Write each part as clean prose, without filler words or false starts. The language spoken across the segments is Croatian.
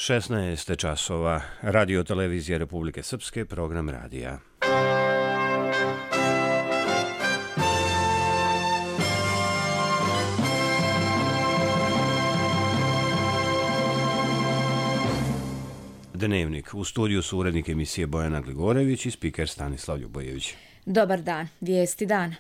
16 časova. Radio televizija Republike Srpske, program radija. Dnevnik. U studiju su urednik emisije Bojana Gligorević i spiker Stanislav Ljubojević. Dobar dan. Vijesti dana.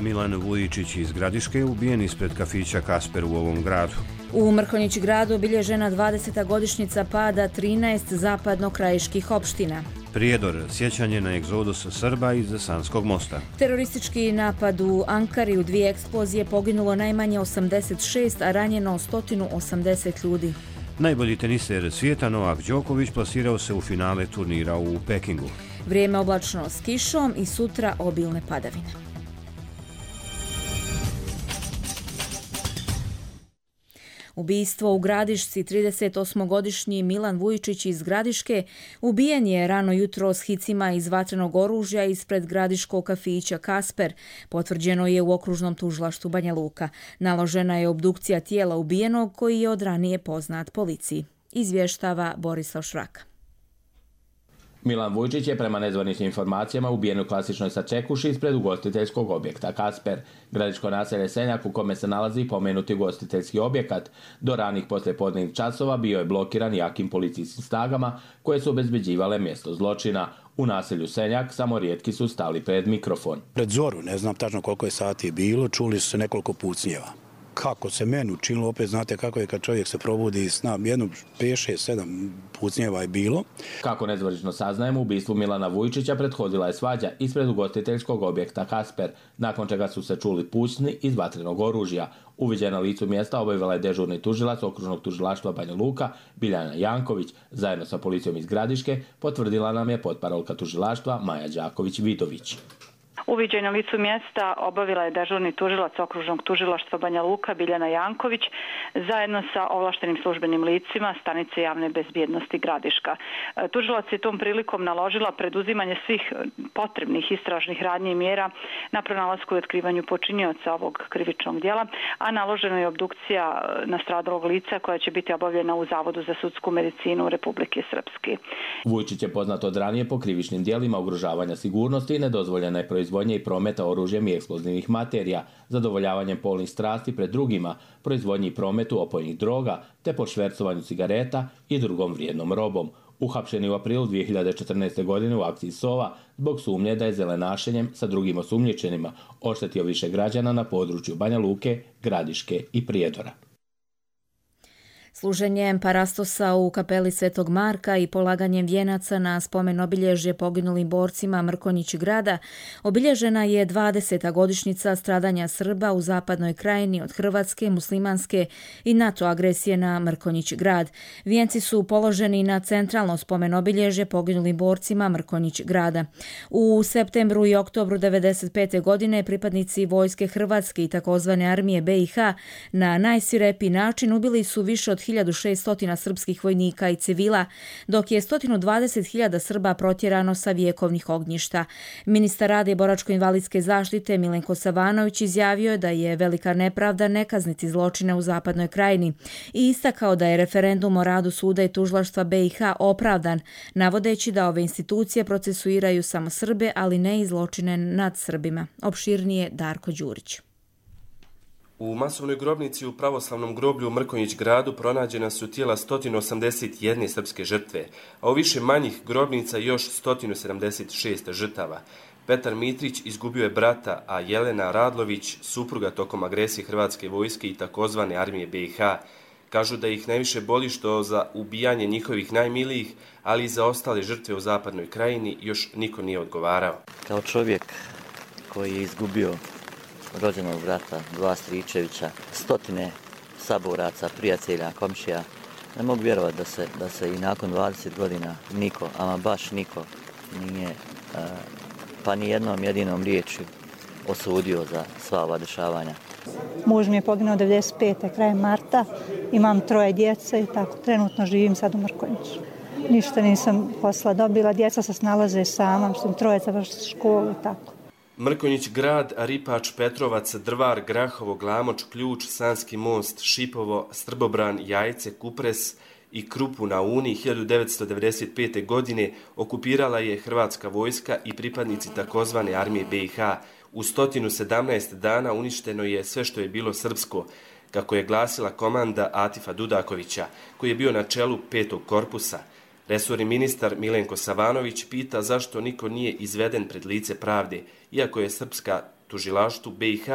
Milan Vujičić iz Gradiške ubijen ispred kafića Kasper u ovom gradu. U Mrkonjić gradu obilježena 20. godišnjica pada 13 zapadno-krajiških opština. Prijedor, sjećanje na egzodus Srba iz Sanskog mosta. Teroristički napad u Ankari, u 2 eksplozije poginulo najmanje 86, a ranjeno 180 ljudi. Najbolji teniser svijeta Novak Đoković plasirao se u finale turnira u Pekingu. Vrijeme oblačno s kišom i sutra obilne padavine. Ubijstvo u Gradišci. 38-godišnji Milan Vujičić iz Gradiške ubijen je rano jutro s hicima iz vatrenog oružja ispred gradiškog kafića Kasper. Potvrđeno je u okružnom tužilaštvu Banja Luka. Naložena je obdukcija tijela ubijenog koji je od ranije poznat policiji. Izvještava Borislav Švraka. Milan Vujičić je prema nezvaničnim informacijama ubijen u klasičnoj sačekuši ispred ugostiteljskog objekta Kasper, gradiško naselje Senjak u kome se nalazi pomenuti ugostiteljski objekat. Do ranih poslijepodnevnih časova bio je blokiran jakim policijskim snagama koje su obezbeđivale mjesto zločina. U naselju Senjak samo rijetki su stali pred mikrofon. Pred zoru, ne znam tačno koliko je sati bilo, čuli su se nekoliko pucnjeva. Kako se meni učinilo, opet znate kako je kad čovjek se probudi iz sna, jedno 5, 6, 7 pucnjeva je bilo. Kako nezvanično saznajemo, ubistvu Milana Vujičića prethodila je svađa ispred ugostiteljskog objekta Kasper, nakon čega su se čuli pucnji iz vatrenog oružja. Uviđaj na licu mjesta obavila je dežurni tužilac okružnog tužilaštva Banja Luka, Biljana Janković, zajedno sa policijom iz Gradiške, potvrdila nam je potparolka tužilaštva Maja Đaković-Vidović. Uviđaj na licu mjesta obavila je dežurni tužilac okružnog tužilaštva Banja Luka Biljana Janković zajedno sa ovlaštenim službenim licima stanice javne bezbjednosti Gradiška. Tužilac je tom prilikom naložila preduzimanje svih potrebnih istražnih radnji i mjera na pronalasku i otkrivanju počinioca ovog krivičnog djela, a naložena je obdukcija nastradalog lica koja će biti obavljena u Zavodu za sudsku medicinu Republike Srpske. Vujičić je poznat od ranije po krivičnim djelima ugrožavanja sigurnosti i nedozvoljene proizvodnje i prometa oružjem i eksplozivnih materija, zadovoljavanjem polnih strasti pred drugima, proizvodnji i prometu opojnih droga, te po švercovanju cigareta i drugom vrijednom robom. Uhapšen je u aprilu 2014. godine u akciji Sova zbog sumnje da je zelenašenjem sa drugim osumnjičenima oštetio više građana na području Banja Luke, Gradiške i Prijedora. Služenjem parastosa u kapeli Svetog Marka i polaganjem vijenaca na spomen obilježje poginulim borcima Mrkonjić grada obilježena je 20. godišnjica stradanja Srba u zapadnoj krajini od hrvatske, muslimanske i NATO agresije na Mrkonjić grad. Vijenci su položeni na centralno spomen obilježje poginulim borcima Mrkonjić grada. U septembru i oktobru 1995. godine pripadnici vojske Hrvatske i takozvane armije BiH na najsvirepiji način ubili su više od 1600 srpskih vojnika i civila, dok je 120.000 Srba protjerano sa vjekovnih ognjišta. Ministar rada i boračko-invalidske zaštite Milenko Savanović izjavio je da je velika nepravda ne kazniti zločine u zapadnoj krajini i istakao da je referendum o radu suda i tužilaštva BiH opravdan, navodeći da ove institucije procesuiraju samo Srbe, ali ne i zločine nad Srbima. Opširnije Darko Đurić. U masovnoj grobnici u pravoslavnom groblju u Mrkonjić gradu pronađena su tijela 181 srpske žrtve, a u više manjih grobnica još 176 žrtava. Petar Mitrić izgubio je brata, a Jelena Radlović, supruga tokom agresije hrvatske vojske i takozvane armije BiH. Kažu da ih najviše boli što za ubijanje njihovih najmilijih, ali i za ostale žrtve u zapadnoj krajini još niko nije odgovarao. Kao čovjek koji je izgubio rođenog brata, 2 stričevića, stotine saboraca, prijatelja, komšija. Ne mogu vjerovati da se i nakon 20 godina niko, ama baš niko, nije pa ni jednom jedinom riječju osudio za sva ova dešavanja. Muž mi je poginuo 95. krajem marta, imam 3 djece i tako trenutno živim sad u Mrkonjiću. Ništa nisam posla dobila, djeca se snalaze sama, 3 završiti školu i tako. Mrkonjić Grad, Ripač, Petrovac, Drvar, Grahovo, Glamoč, Ključ, Sanski most, Šipovo, Strbobran, Jajce, Kupres i Krupu na Uni 1995. godine okupirala je hrvatska vojska i pripadnici takozvane armije BiH. U 117 dana uništeno je sve što je bilo srpsko, kako je glasila komanda Atifa Dudakovića, koji je bio na čelu 5. korpusa. Resorni ministar Milenko Savanović pita zašto niko nije izveden pred lice pravde, iako je srpska tužilaštvu BiH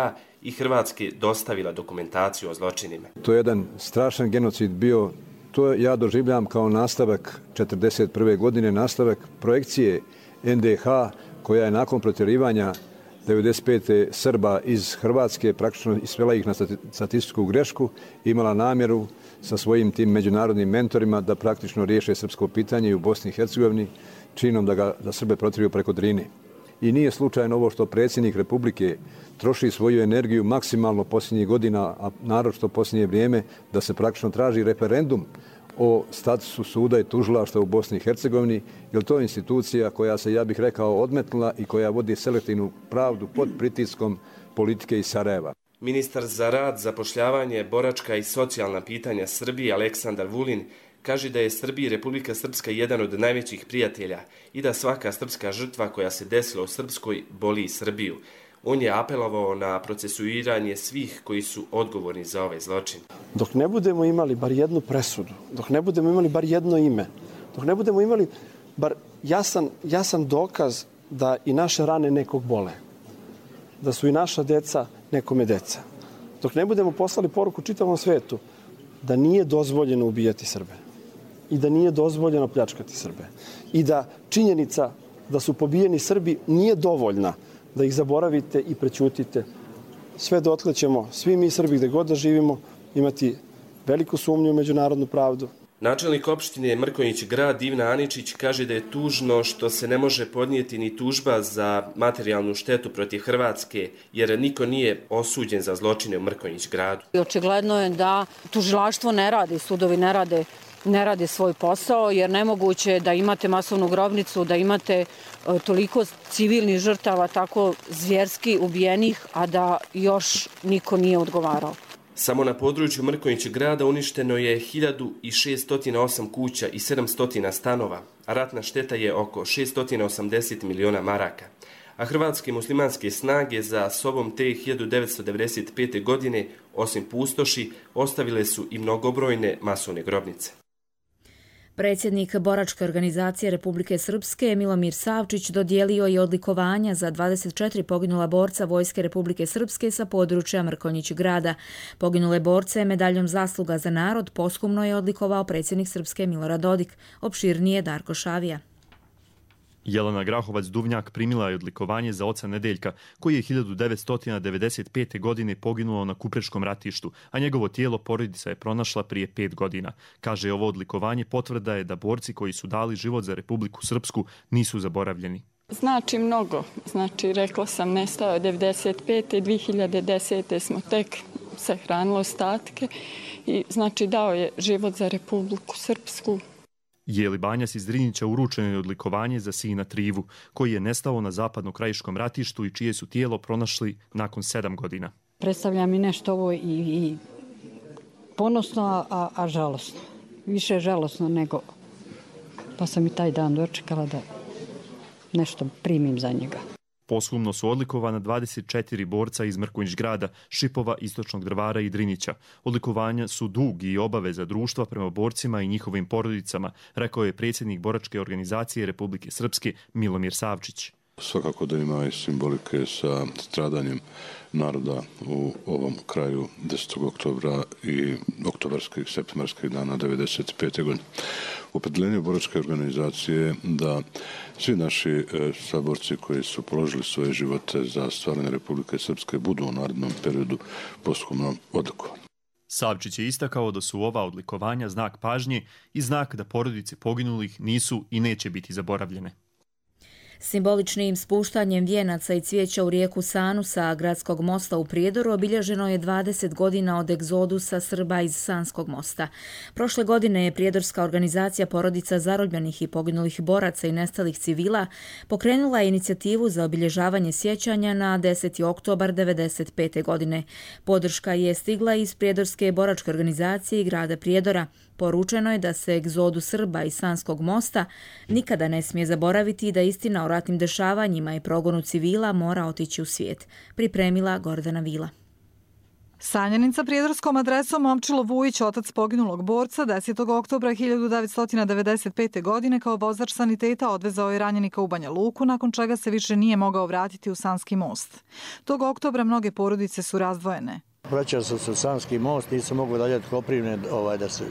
i Hrvatske dostavila dokumentaciju o zločinima. To je jedan strašan genocid bio, to ja doživljam kao nastavak 1941. godine, nastavak projekcije NDH koja je nakon protjerivanja 95. Srba iz Hrvatske praktično svela ih na statističku grešku, imala namjeru sa svojim tim međunarodnim mentorima da praktično riješe srpsko pitanje i u Bosni i Hercegovini činom da Srbe protjeriju preko Drine. I nije slučajno ovo što predsjednik Republike troši svoju energiju maksimalno posljednjih godina, a naročito posljednje vrijeme, da se praktično traži referendum o statusu suda i tužilaštva u Bosni i Hercegovini, jer to je institucija koja se, ja bih rekao, odmetnula i koja vodi selektivnu pravdu pod pritiskom politike iz Sarajeva. Ministar za rad, zapošljavanje, boračka i socijalna pitanja Srbije Aleksandar Vulin kaže da je Srbija i Republika Srpska jedan od najvećih prijatelja i da svaka srpska žrtva koja se desila u Srpskoj boli Srbiju. On je apelovao na procesuiranje svih koji su odgovorni za ovaj zločin. Dok ne budemo imali bar jednu presudu, dok ne budemo imali bar jedno ime, dok ne budemo imali bar jasan dokaz da i naše rane nekog bole, da su i naša deca nekome deca, dok ne budemo poslali poruku čitavom svetu da nije dozvoljeno ubijati Srbe i da nije dozvoljeno pljačkati Srbe i da činjenica da su pobijeni Srbi nije dovoljna da ih zaboravite i prećutite, sve dotle ćemo svi mi Srbi gde god da živimo imati veliku sumnju u međunarodnu pravdu. Načelnik opštine Mrkonjić Grad Ivna Aničić kaže da je tužno što se ne može podnijeti ni tužba za materijalnu štetu protiv Hrvatske, jer niko nije osuđen za zločine u Mrkonjić Gradu. Očigledno je da tužilaštvo ne radi, sudovi ne rade svoj posao, jer nemoguće je da imate masovnu grobnicu, da imate toliko civilnih žrtava, tako zvjerski ubijenih, a da još niko nije odgovarao. Samo na području Mrkonjić Grada uništeno je 1608 kuća i 700 stanova, a ratna šteta je oko 680 miliona maraka. A hrvatske muslimanske snage za sobom te 1995. godine, osim pustoši, ostavile su i mnogobrojne masovne grobnice. Predsjednik boračke organizacije Republike Srpske Milomir Savčić dodijelio je odlikovanja za 24 poginula borca Vojske Republike Srpske sa područja Mrkonjić Grada. Poginule borce medaljom zasluga za narod posthumno je odlikovao predsjednik Srpske Milorad Dodik. Opširnije Darko Šavija. Jelena Grahovac-Duvnjak primila je odlikovanje za oca Nedeljka, koji je 1995. godine poginuo na Kupreškom ratištu, a njegovo tijelo porodica je pronašla prije 5 godina. Kaže, ovo odlikovanje potvrda je da borci koji su dali život za Republiku Srpsku nisu zaboravljeni. Znači mnogo. Znači, rekla sam, nestao je 95. 2010. smo tek sahranili ostatke i znači dao je život za Republiku Srpsku. Jeli Banjas iz Drinića uručeno je odlikovanje za sina Trivu, koji je nestao na zapadno-krajiškom ratištu i čije su tijelo pronašli nakon 7 godina. Predstavlja mi nešto ovo i ponosno, a žalosno. Više žalosno nego, pa sam i taj dan dočekala da nešto primim za njega. Posthumno su odlikovana 24 borca iz Mrkonjić Grada, Šipova, Istočnog Drvara i Drinića. Odlikovanja su dug i obaveza društva prema borcima i njihovim porodicama, rekao je predsjednik boračke organizacije Republike Srpske Milomir Savčić. Svakako da ima i simbolike sa stradanjem naroda u ovom kraju 10. oktobra i oktobarskih, septembarskih dana 1995. godine. Opredeljenje boračke organizacije da svi naši saborci koji su položili svoje živote za stvaranje Republike Srpske budu u narednom periodu posthumno odlikovani. Savčić je istakao da su ova odlikovanja znak pažnje i znak da porodice poginulih nisu i neće biti zaboravljene. Simboličnim spuštanjem vijenaca i cvijeća u rijeku Sanu sa gradskog mosta u Prijedoru obilježeno je 20 godina od egzodusa Srba iz Sanskog mosta. Prošle godine je prijedorska organizacija Porodica zarobljenih i poginulih boraca i nestalih civila pokrenula inicijativu za obilježavanje sjećanja na 10. oktobar 1995. godine. Podrška je stigla iz prijedorske boračke organizacije i grada Prijedora. Poručeno je da se egzodu Srba iz Sanskog mosta nikada ne smije zaboraviti i da istina o ratnim dešavanjima i progonu civila mora otići u svijet. Pripremila Gordana Vila. Sanjanin sa prijedorskom adresom Momčilo Vujić, otac poginulog borca, 10. oktobra 1995. godine kao vozač saniteta odvezao je ranjenika u Banja Luku, nakon čega se više nije mogao vratiti u Sanski most. Tog oktobra mnoge porodice su razdvojene. Vraćao sam se u Sanski most, nisam mogao dalje od Koprivne da se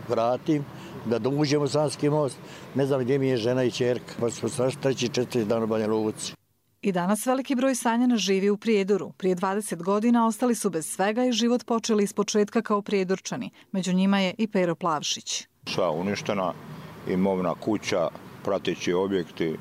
vratim, da uđem u Sanski most. Ne znam gdje mi je žena i ćerka, pa smo strašno 3-4 dana u Banja Luci. I danas veliki broj Sanjana živi u Prijedoru. Prije 20 godina ostali su bez svega i život počeli iz početka kao Prijedorčani. Među njima je i Pero Plavšić. Sva uništena, imovna kuća, prateći objekti,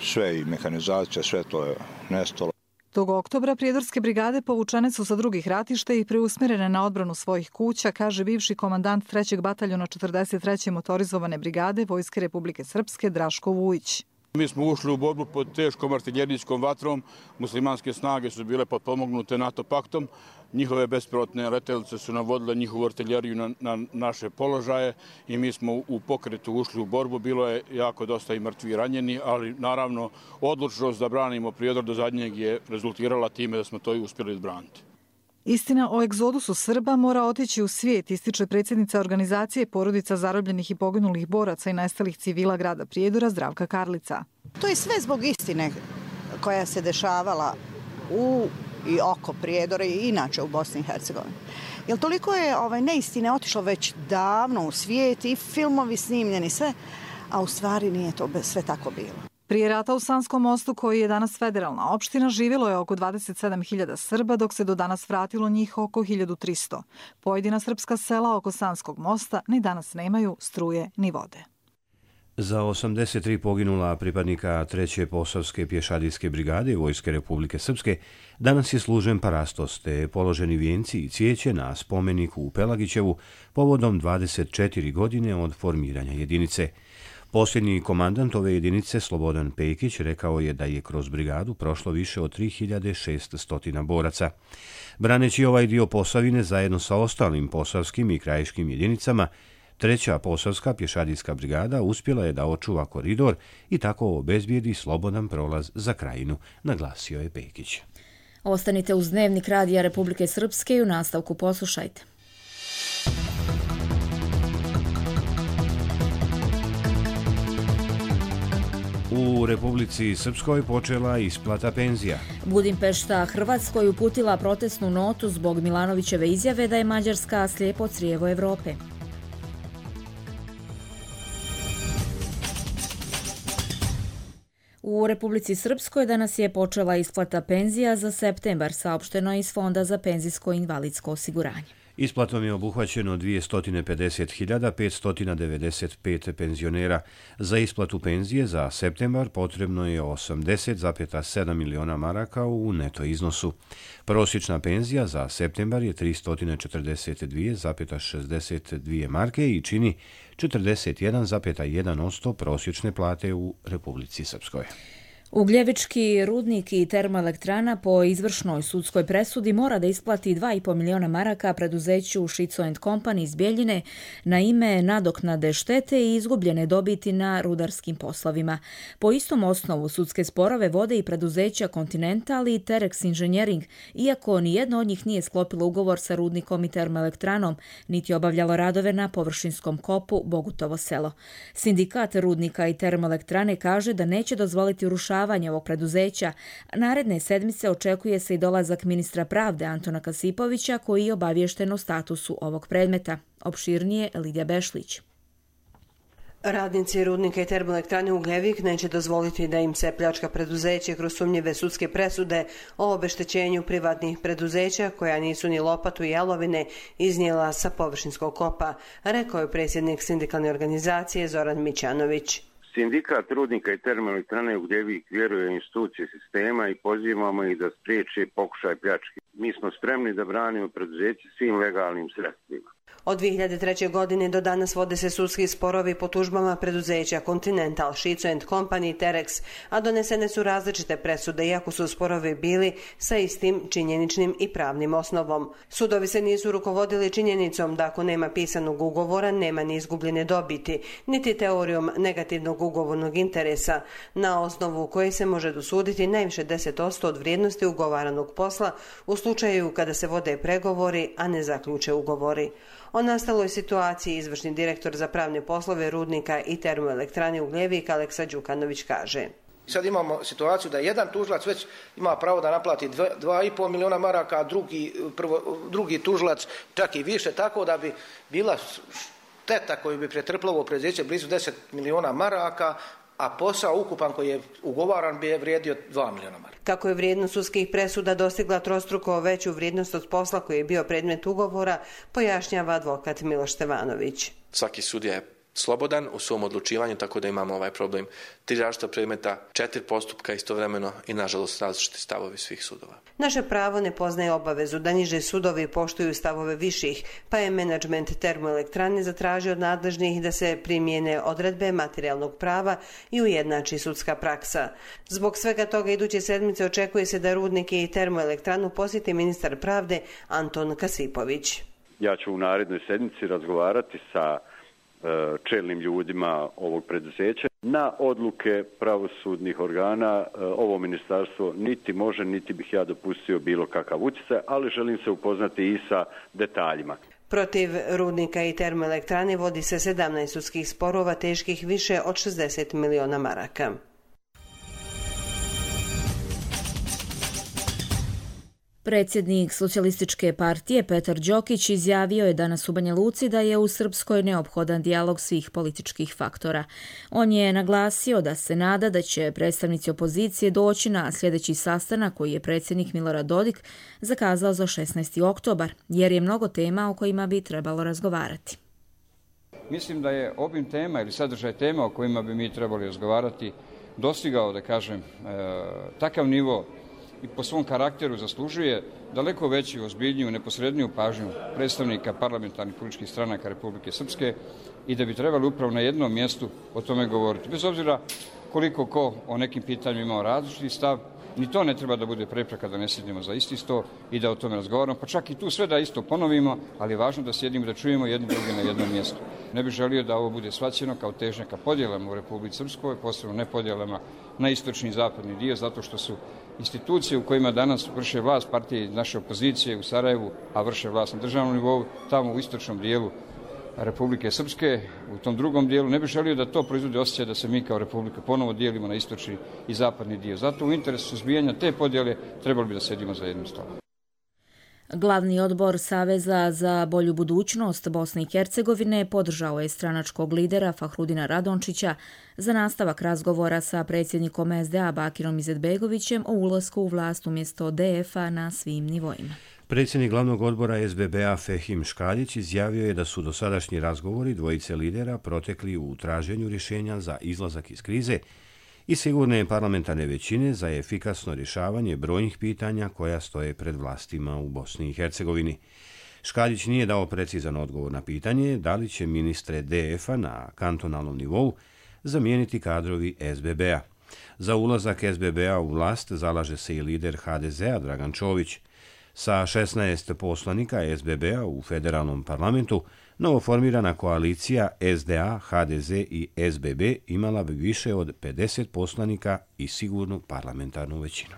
sve i mehanizacija, sve to je nestalo. Tog oktobra prijedorske brigade povučene su sa drugih ratišta i preusmjerene na odbranu svojih kuća, kaže bivši komandant 3. bataljona 43. motorizovane brigade Vojske Republike Srpske Draško Vujić. Mi smo ušli u borbu pod teškom artiljerijskom vatrom. Muslimanske snage su bile potpomognute NATO paktom. Njihove bespilotne letelice su navodile njihovu artiljeriju na naše položaje i mi smo u pokretu ušli u borbu. Bilo je jako dosta i mrtvi i ranjeni, ali naravno odlučnost da branimo Prijedor do zadnjeg je rezultirala time da smo to i uspjeli izbraniti. Istina o egzodusu Srba mora otići u svijet, ističe predsjednica organizacije Porodica zarobljenih i poginulih boraca i nestalih civila grada Prijedora Zdravka Karlica. To je sve zbog istine koja se dešavala u i oko Prijedora i inače u Bosni i Hercegovini. Jer toliko je neistine otišlo već davno u svijet i filmovi snimljeni sve, a u stvari nije to sve tako bilo. Prije rata u Sanskom mostu, koji je danas federalna opština, živjelo je oko 27.000 Srba, dok se do danas vratilo njih oko 1.300. Pojedina srpska sela oko Sanskog mosta ni danas nemaju struje ni vode. Za 83 poginula pripadnika 3. Posavske pješadijske brigade Vojske Republike Srpske danas je služen parastos te položeni vijenci i cvijeće na spomeniku u Pelagićevu povodom 24 godine od formiranja jedinice. Posljednji komandant ove jedinice, Slobodan Pejkić, rekao je da je kroz brigadu prošlo više od 3600 boraca. Braneći ovaj dio Posavine zajedno sa ostalim posavskim i krajiškim jedinicama, 3. Posavska pješadijska brigada uspjela je da očuva koridor i tako obezbijedi slobodan prolaz za krajinu, naglasio je Pejkić. Ostanite uz Dnevnik Radija Republike Srpske i u nastavku poslušajte. U Republici Srpskoj počela isplata penzija. Budimpešta Hrvatskoj uputila protestnu notu zbog Milanovićeve izjave da je Mađarska slijepo crijevo Evrope. U Republici Srpskoj danas je počela isplata penzija za septembar, saopšteno iz Fonda za penzijsko i invalidsko osiguranje. Isplatom je obuhvaćeno 250.595 penzionera. Za isplatu penzije za septembar potrebno je 80,7 miliona maraka u neto iznosu. Prosječna penzija za septembar je 342,62 marke i čini 41,1% prosječne plate u Republici Srpskoj. Ugljevički rudnik i termoelektrana po izvršnoj sudskoj presudi mora da isplati 2,5 miliona maraka preduzeću Šico & Company iz Bjeljine na ime nadoknade štete i izgubljene dobiti na rudarskim poslovima. Po istom osnovu sudske sporove vode i preduzeća Continental i Terex Engineering, iako nijedno od njih nije sklopilo ugovor sa rudnikom i termoelektranom, niti obavljalo radove na površinskom kopu Bogutovo selo. Sindikat rudnika i termoelektrane kaže da neće dozvoliti urušavanje ovog preduzeća. Naredne sedmice očekuje se i dolazak ministra pravde Antona Kasipovića, koji je obaviješten o statusu ovog predmeta. Opširnije Lidija Bešlić. Radnici rudnika i termoelektrane Ugljevik neće dozvoliti da im se pljačka preduzeće kroz sumnjive sudske presude o obeštećenju privatnih preduzeća koja nisu ni lopatu i jalovine iznijela sa površinskog kopa, rekao je predsjednik sindikalne organizacije Zoran Mićanović. Sindikat rudnika i termoelektrane Ugljevik vjeruje u institucije sistema i pozivamo ih da spriječe pokušaj pljačke. Mi smo spremni da branimo preduzeće svim legalnim sredstvima. Od 2003. godine do danas vode se sudski sporovi po tužbama preduzeća Continental, Šico & Company i Terex, a donesene su različite presude, iako su sporovi bili sa istim činjeničnim i pravnim osnovom. Sudovi se nisu rukovodili činjenicom da ako nema pisanog ugovora, nema ni izgubljene dobiti, niti teorijom negativnog ugovornog interesa, na osnovu koje se može dosuditi najviše 10% od vrijednosti ugovaranog posla u slučaju kada se vode pregovori, a ne zaključe ugovori. O nastaloj situaciji izvršni direktor za pravne poslove rudnika i termoelektrane Ugljevik Aleksa Đukanović kaže. Sad imamo situaciju da jedan tužilac već ima pravo da naplati 2,5 miliona maraka, a drugi tužilac čak i više, tako da bi bila šteta koju bi pretrpilo ovo preduzeće blizu 10 miliona maraka, a posao ukupan koji je ugovaran bi je vrijedio 2 miliona maraka. Kako je vrijednost sudskih presuda dostigla trostruko veću vrijednost od posla koji je bio predmet ugovora, pojašnjava advokat Miloš Stevanović. Svaki sudija je slobodan u svom odlučivanju, tako da imamo ovaj problem 3 različita predmeta, 4 postupka istovremeno i nažalost različiti stavovi svih sudova. Naše pravo ne poznaje obavezu da niže sudovi poštuju stavove viših, pa je menadžment termoelektrane zatražio od nadležnih da se primijene odredbe materijalnog prava i ujednači sudska praksa. Zbog svega toga iduće sedmice očekuje se da rudnike i termoelektranu posjeti ministar pravde Anton Kasipović. Ja ću u narednoj sedmici razgovarati sa čelnim ljudima ovog preduzeća. Na odluke pravosudnih organa ovo ministarstvo niti može, niti bih ja dopustio bilo kakav utjecaj, ali želim se upoznati i sa detaljima. Protiv rudnika i termoelektrane vodi se 17 sudskih sporova teških više od 60 miliona maraka. Predsjednik Socijalističke partije Petar Đokić izjavio je danas u Banja Luci da je u Srpskoj neophodan dijalog svih političkih faktora. On je naglasio da se nada da će predstavnici opozicije doći na sljedeći sastanak koji je predsjednik Milorad Dodik zakazao za 16. oktobar, jer je mnogo tema o kojima bi trebalo razgovarati. Mislim da je obim tema ili sadržaj tema o kojima bi mi trebali razgovarati dostigao, da kažem, takav nivo i po svom karakteru zaslužuje daleko veću, ozbiljniju, neposredniju pažnju predstavnika parlamentarnih političkih stranaka Republike Srpske i da bi trebali upravo na jednom mjestu o tome govoriti. Bez obzira koliko ko o nekim pitanjima imao različiti stav, ni to ne treba da bude prepreka da ne sjednemo za isti sto i da o tome razgovaramo, pa čak i tu sve da isto ponovimo, ali je važno da sjedimo da čujemo jedni drugi na jednom mjestu. Ne bih želio da ovo bude shvaćeno kao težnja ka podjelama u Republici Srpskoj, posebno ne podjelama na istočni i zapadni dio, zato što su institucije u kojima danas vrše vlast partije naše opozicije u Sarajevu, a vrše vlast na državnom nivou, tamo u istočnom dijelu Republike Srpske, u tom drugom dijelu, ne bih želio da to proizvode osjećaj da se mi kao Republika ponovo dijelimo na istočni i zapadni dio. Zato u interesu suzbijanja te podjele trebali bi da sedimo za jednim stolom. Glavni odbor Saveza za bolju budućnost Bosne i Hercegovine podržao je stranačkog lidera Fahrudina Radončića za nastavak razgovora sa predsjednikom SDA Bakirom Izetbegovićem o ulasku u vlast umjesto DF-a na svim nivoima. Predsjednik glavnog odbora SBB-a Fehim Škaljić izjavio je da su dosadašnji razgovori dvojice lidera protekli u traženju rješenja za izlazak iz krize i sigurne parlamentarne većine za efikasno rješavanje brojnih pitanja koja stoje pred vlastima u Bosni i Hercegovini. Škaljić nije dao precizan odgovor na pitanje da li će ministre DF-a na kantonalnom nivou zamijeniti kadrovi SBB-a. Za ulazak SBB-a u vlast zalaže se i lider HDZ-a Dragan Čović. Sa 16 poslanika SBB-a u federalnom parlamentu, novoformirana koalicija SDA, HDZ i SBB imala bi više od 50 poslanika i sigurnu parlamentarnu većinu.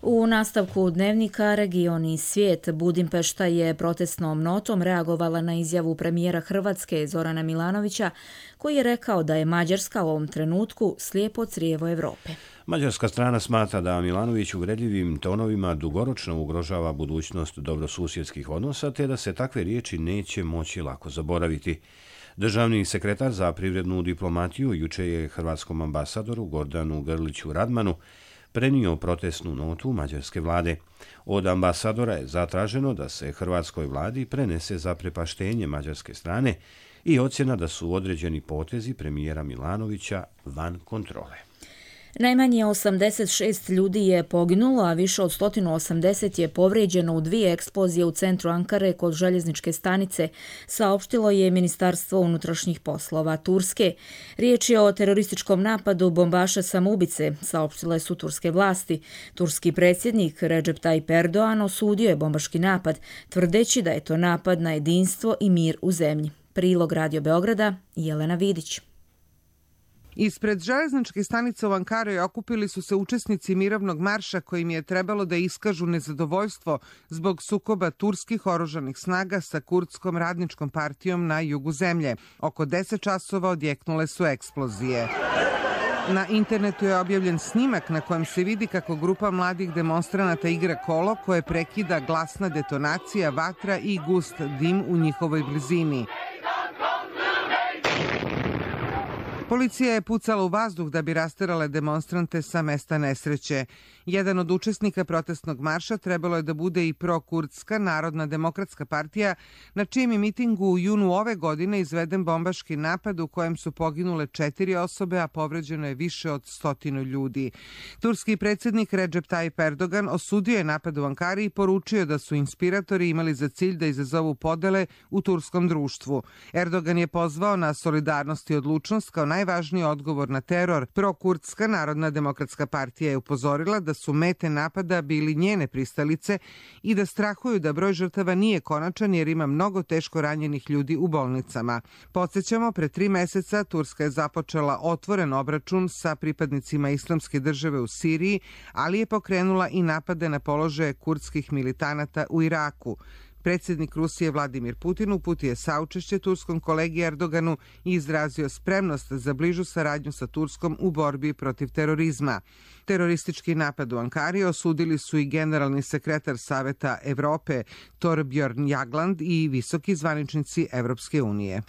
U nastavku dnevnika Region i svijet Budimpešta je protestnom notom reagovala na izjavu premijera Hrvatske Zorana Milanovića, koji je rekao da je Mađarska u ovom trenutku slijepo crijevo Evrope. Mađarska strana smatra da Milanović uvredljivim tonovima dugoročno ugrožava budućnost dobrosusjedskih odnosa, te da se takve riječi neće moći lako zaboraviti. Državni sekretar za privrednu diplomatiju juče je hrvatskom ambasadoru Gordanu Grliću Radmanu prenio protestnu notu mađarske vlade. Od ambasadora je zatraženo da se hrvatskoj vladi prenese zaprepaštenje mađarske strane i ocjena da su određeni potezi premijera Milanovića van kontrole. Najmanje 86 ljudi je poginulo, a više od 180 je povrijeđeno u 2 eksplozije u centru Ankare kod željezničke stanice, saopštilo je Ministarstvo unutrašnjih poslova Turske. Riječ je o terorističkom napadu bombaša samoubice, saopštile su turske vlasti. Turski predsjednik Recep Tayyip Erdogan osudio je bombaški napad, tvrdeći da je to napad na jedinstvo i mir u zemlji. Prilog Radio Beograda, Jelena Vidić. Ispred železničke stanice u Ankari okupili su se učesnici mirovnog marša kojim je trebalo da iskažu nezadovoljstvo zbog sukoba turskih oružanih snaga sa kurdskom radničkom partijom na jugu zemlje. Oko 10 časova odjeknule su eksplozije. Na internetu je objavljen snimak na kojem se vidi kako grupa mladih demonstranata igra kolo koje prekida glasna detonacija, vatra i gust dim u njihovoj blizini. Policija je pucala u vazduh da bi rasterale demonstrante sa mesta nesreće. Jedan od učesnika protestnog marša trebalo je da bude i prokurdska Narodna demokratska partija, na čijem je mitingu u junu ove godine izveden bombaški napad u kojem su poginule 4 osobe, a povređeno je više od 100 ljudi. Turski predsjednik Recep Tayyip Erdogan osudio je napad u Ankari i poručio da su inspiratori imali za cilj da izazovu podele u turskom društvu. Erdogan je pozvao na solidarnost i odlučnost kao najvažniji odgovor na teror. Prokurdska Narodna demokratska partija je upozorila da su mete napada bili njene pristalice i da strahuju da broj žrtava nije konačan jer ima mnogo teško ranjenih ljudi u bolnicama. Podsjećamo, pre 3 meseca Turska je započela otvoren obračun sa pripadnicima Islamske države u Siriji, ali je pokrenula i napade na položaje kurdskih militanata u Iraku. Predsjednik Rusije Vladimir Putin uputio je saučešće turskom kolegi Erdoganu i izrazio spremnost za bližu saradnju sa Turskom u borbi protiv terorizma. Teroristički napad u Ankari osudili su i generalni sekretar Saveta Evrope Thorbjørn Jagland i visoki zvaničnici Evropske unije.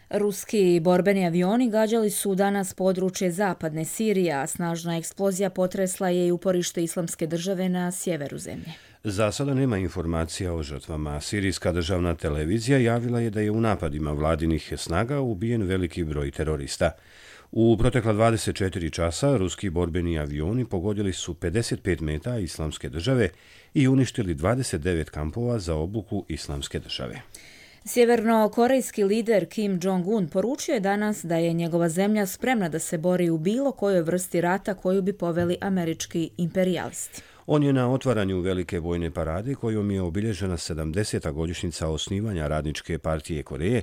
Ruski borbeni avioni gađali su danas područje zapadne Sirije, a snažna eksplozija potresla je i uporište Islamske države na sjeveru zemlje. Za sada nema informacija o žrtvama. Sirijska državna televizija javila je da je u napadima vladinih snaga ubijen veliki broj terorista. U protekla 24 časa ruski borbeni avioni pogodili su 55 meta Islamske države i uništili 29 kampova za obuku Islamske države. Sjevernokorejski lider Kim Jong-un poručio je danas da je njegova zemlja spremna da se bori u bilo kojoj vrsti rata koju bi poveli američki imperijalisti. On je na otvaranju velike vojne parade kojom je obilježena 70. godišnjica osnivanja Radničke partije Koreje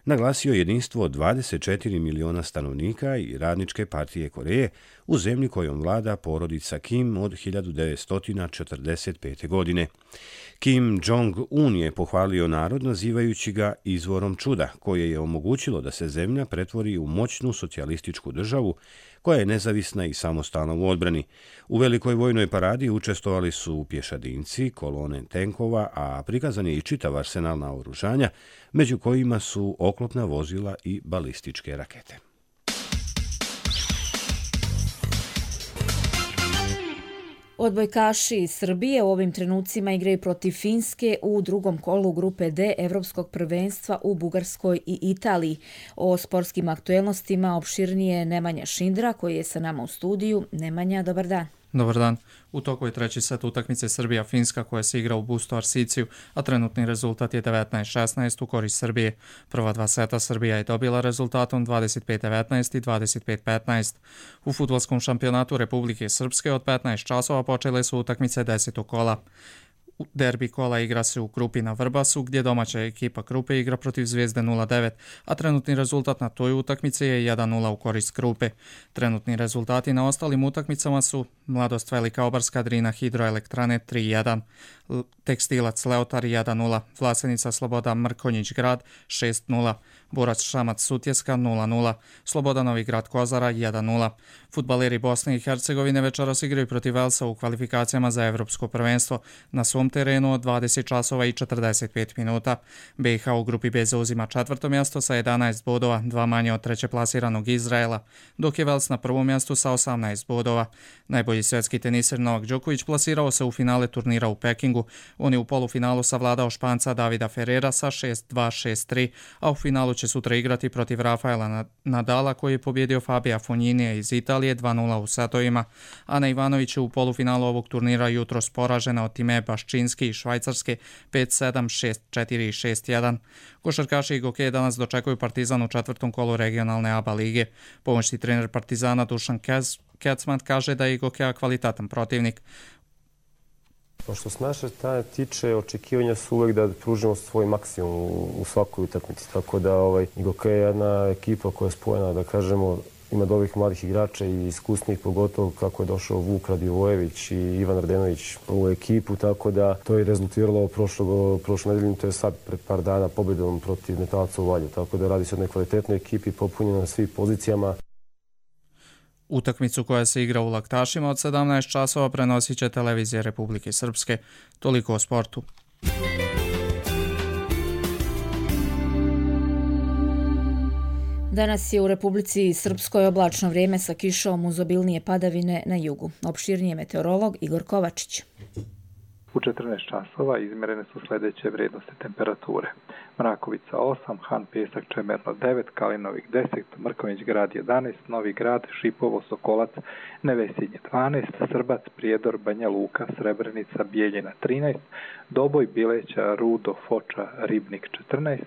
naglasio jedinstvo 24 miliona stanovnika i Radničke partije Koreje u zemlji kojom vlada porodica Kim od 1945. godine. Kim Jong-un je pohvalio narod nazivajući ga izvorom čuda koje je omogućilo da se zemlja pretvori u moćnu socijalističku državu koja je nezavisna i samostalna u odbrani. U velikoj vojnoj paradi učestvovali su pješadinci, kolone tenkova, a prikazan je i čitav arsenal naoružanja, među kojima su oklopna vozila i balističke rakete. Odbojkaši iz Srbije u ovim trenucima igraju protiv Finske u drugom kolu grupe D Evropskog prvenstva u Bugarskoj i Italiji. O sportskim aktuelnostima opširnije Nemanja Šindra koji je sa nama u studiju. Nemanja, dobar dan. Dobar dan. U toku je treći set utakmice Srbija-Finska koja se igra u Busto Arsiciju, a trenutni rezultat je 19-16 u korist Srbije. Prva 2 seta Srbija je dobila rezultatom 25-19 i 25-15. U fudbalskom šampionatu Republike Srpske od 15 časova počele su utakmice 10. kola. Derbi kola igra se u Krupi na Vrbasu, gdje domaća ekipa Krupe igra protiv Zvezde 0-9, a trenutni rezultat na toj utakmici je 1-0 u korist Krupe. Trenutni rezultati na ostalim utakmicama su Mladost Velika Obarska Drina Hidroelektrane 3-1, Tekstilac Leotar 1-0, Vlasenica Sloboda Mrkonjić Grad 6-0, Borac Šamac Sutjeska 0-0, Sloboda Novi Grad Kozara 1-0. Fudbaleri Bosne i Hercegovine večeras igraju protiv Velsa u kvalifikacijama za Evropsko prvenstvo na svom terenu od 20 časova i 45 minuta. BiH u grupi B zauzima 4. mjesto sa 11 bodova, 2 manje od treće plasiranog Izraela, dok je Vels na prvom mjestu sa 18 bodova. Najbolji svjetski teniser Novak Đoković plasirao se u finale turnira u Pekingu. On je u polufinalu savladao Španca Davida Ferrera sa 6-2, 6-3, a u finalu će će sutra igrati protiv Rafaela Nadala koji je pobjedio Fabija Fognini'ja iz Italije 2-0 u setovima. Ana Ivanović je u polufinalu ovog turnira jutros poražena od Time Baščinski iz Švajcarske 5-7, 6-4 i 6-1. Košarkaši i gokeje danas dočekuju Partizan u četvrtom kolu regionalne ABA lige. Pomoćni trener Partizana Dušan Kecman kaže da je i gokeja kvalitetan protivnik. Što se naše strane tiče, očekivanja su uvek da pružimo svoj maksimum u svakoj utakmici. Tako da Goke je jedna ekipa koja je spojena, da kažemo, ima dobrih mladih igrača i iskusnih, pogotovo kako je došao Vuk Radivojević i Ivan Radenović u ekipu, tako da to je rezultiralo prošle nedelje, to je sad pred par dana pobjedom protiv Metalca u Valju. Tako da radi se o jednoj kvalitetnoj ekipi, popunjena na svim pozicijama. Utakmicu koja se igra u Laktašima od 17 časova prenosit će Televizija Republike Srpske. Toliko o sportu. Danas je u Republici Srpskoj oblačno vrijeme sa kišom uz obilnije padavine na jugu. Opširnije meteorolog Igor Kovačić. U 14 časova izmjerene su sljedeće vrijednosti temperature. Mrakovica 8, Han Pesak Čemerno 9, Kalinovik 10, Mrkonjić grad 11, Novi grad, Šipovo, Sokolac, Nevesinje 12, Srbac, Prijedor, Banja Luka, Srebrenica, Bijeljina 13, Doboj, Bileća, Rudo, Foča, Ribnik 14,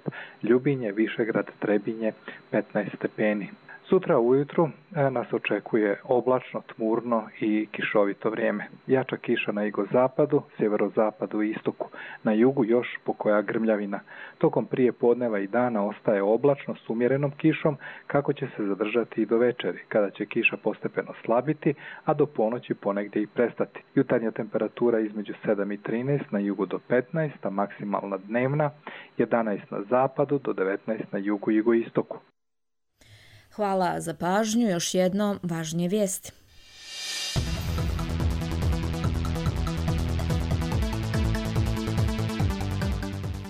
Ljubinje, Višegrad, Trebinje 15 stepeni. Sutra ujutru nas očekuje oblačno, tmurno i kišovito vrijeme. Jača kiša na jugozapadu, sjeverozapadu i istoku. Na jugu još pokoja grmljavina. Tokom prije podneva i dana ostaje oblačno s umjerenom kišom, kako će se zadržati i do večeri, kada će kiša postepeno slabiti, a do ponoći ponegdje i prestati. Jutarnja temperatura između 7 i 13, na jugu do 15, a maksimalna dnevna 11 na zapadu do 19 na jugu i jugoistoku. Hvala za pažnju. Još jednom važnije vijesti.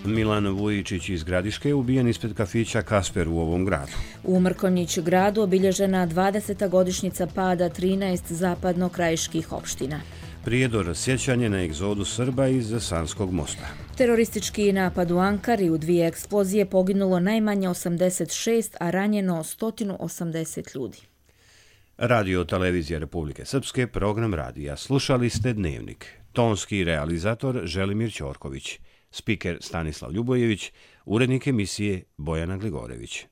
Milan Vujičić iz Gradiške je ubijen ispred kafića Kasper u ovom gradu. U Mrkonjić gradu obilježena 20. godišnjica pada 13 zapadno-krajiških opština. Prijedor sjećanje na egzodu Srba iz Sanskog mosta. Teroristički napad u Ankari, u 2 eksplozije poginulo najmanje 86, a ranjeno 180 ljudi. Radio Televizija Republike Srpske, program radija. Slušali ste Dnevnik. Tonski realizator Želimir Ćorković. Spiker Stanislav Ljubojević. Urednik emisije Bojana Gligorević.